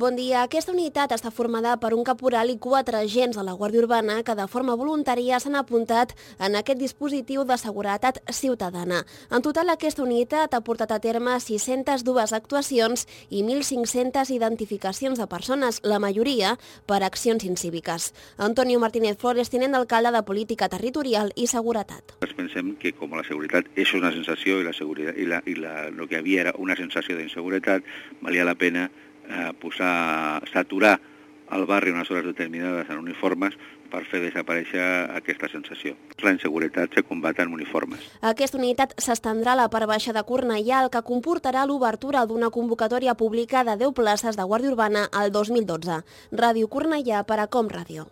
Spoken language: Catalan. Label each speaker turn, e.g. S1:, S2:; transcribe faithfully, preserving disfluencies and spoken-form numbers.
S1: Bon dia. Aquesta unitat està formada per un caporal i quatre agents de la Guàrdia Urbana que de forma voluntària s'han apuntat en aquest dispositiu de seguretat ciutadana. En total, aquesta unitat ha portat a terme sis-centes dues actuacions i mil cinc-centes identificacions de persones, la majoria per accions incíviques. Antonio Martínez Flores, tinent d'alcalde de Política Territorial i Seguretat.
S2: Pensem que com la seguretat és una sensació i la seguretat i la, i la, el que havia era una sensació d'inseguretat, valia la pena eh, posar, saturar el barri unes hores determinades en uniformes per fer desaparèixer aquesta sensació. La inseguretat se combat en uniformes.
S1: Aquesta unitat s'estendrà a la part baixa de Cornellà, el que comportarà l'obertura d'una convocatòria pública de deu places de Guàrdia Urbana al dos mil dotze. Ràdio Cornellà per a Com Ràdio.